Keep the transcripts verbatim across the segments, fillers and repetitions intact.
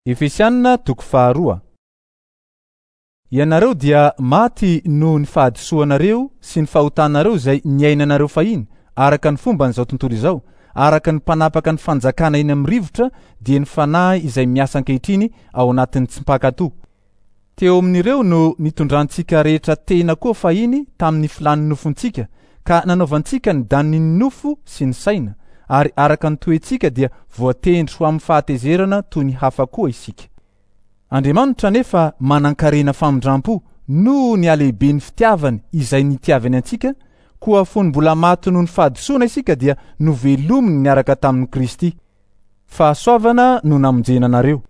Efesianina toko faharoa. Ianareo dia maty noho ny fahadisoanareo sy ny fahotanareo izay niainanareo fahiny araka ny fomban'izao tontolo izao, araka ny mpanapaka ny fanjakana eny amin'ny rivotra dia ny fanahy izay miasa ankehitriny ao anatin'ny tsy mpankatò. Teo amin'ireo no nitondrantsika rehetra tena koa fahiny tamin'ny filan'ny nofontsika ka nanaovantsika ny danin'ny nofo sy ny saina, ary araka ny toetsika dia voatendry ho amin'ny fahatezerana toy ny hafa koa isika. Andriamanitra nefa manan-karena famindram-po noho ny halehiben'ny fitiavany izay nitiavany antsika, koa fony mbola maty noho ny fahadisoana isika dia novelominy niaraka tamin'i Kristy. Fahasoavana no namonjena anareo.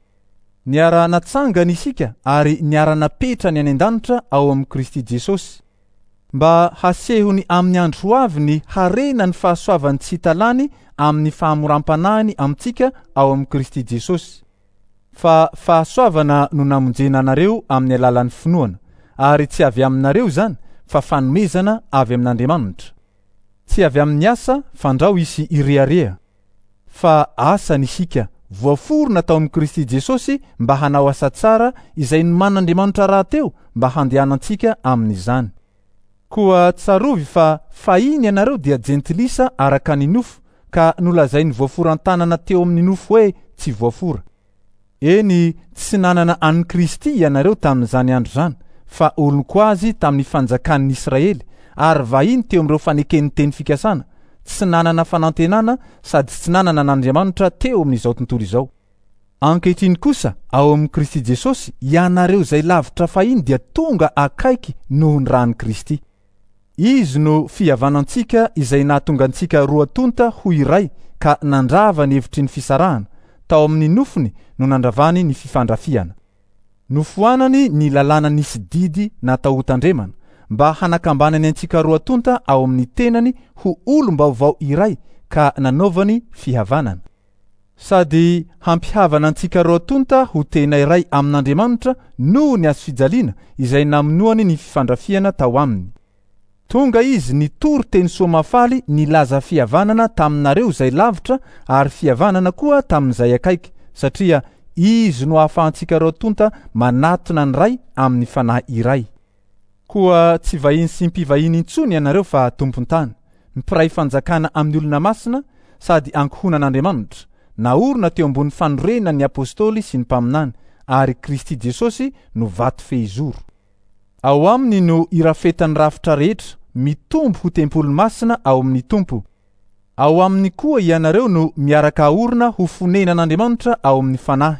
Niara-natsangana isika ary niara-napetrany any an-danitra ao amin'i Kristy Jesosy, mba hasehony amin'ny andro ho avy ny harena ny fahasoavany tsy hita lany amin'ny fahamoram-panahiny amintsika ao amin'i Kristy Jesosy. Fa fahasoavana no namonjena anareo amin'ny alalan'ny finoana, ary tsy avy aminareo izany fa fanomezana avy amin'Andriamanitra. Tsy avy amin'ny asa fandrao hisy irehareha, fa asany isika voaforona tao amin'i Kristy Jesosy mba hanao asa tsara izay nomanin'Andriamanitra rahateo mba handehanantsika amin'izany. Koa tsarovy fa fahiny ianareo dia jentilisa araka ny nofo ka nolazain'ny voaforan-tanana teo amin'ny nofo hoe tsy voafora. Eny, tsy nanana an'i Kristy ianareo tamin'izany andro izany, fa olon-ko azy tamin'ny fanjakan'ny Israely ary vahiny teo amin'ireo faneken'ny teny fikasana, tsy nanana fanantenana sady tsy nanana an'Andriamanitra teo amin'izao tontolo izao. Ankehitriny kosa ao amin'i Kristy Jesosy ianareo izay lavitra fahiny dia tonga akaiky noho ny ran'i Kristy. Izy no fihavanantsika izay nahatonga antsika roa tonta ho iray ka nandrava ny hevitry ny fisarahana, tao amin'ny nofony no nandravany ny fifandrafiana. Nofoanany ny lalàna nisy didy natao hotandremana mba hanakambanany antsika roa tonta ao amin'ny tenany ho olom-baovao iray ka nanaovany fihavanana. Sady hampihavana antsika roa tonta ho tena iray amin'Andriamanitra noho ny hazo fijaliana izay namonoany ny fifandrafiana tao aminy. Tonga izy nitory teny soa mahafaly nilaza fihavanana taminareo izay lavitra ary fihavanana koa tamin'izay akaiky, satria izy no ahafahantsika roa tonta manatona ny Ray amin'ny fanahy iray. Koa tsy vahiny sy mpivahiny intsony ianareo fa tompon-tany, mpiray fanjakana amin'ny olona masina sady ankohonan'Andriamanitra, naorina teo ambony fanorenan'ny apôstôly sy ny mpaminany, ary Kristy Jesosy no vato fehizoro. Ao aminy no irafetan'ny rafitra rehetra mitombo ho tempoly masina ao amin'ny Tompo. Ao aminy koa ianareo no miaraka aorina ho fonenan'Andriamanitra ao amin'ny fanahy.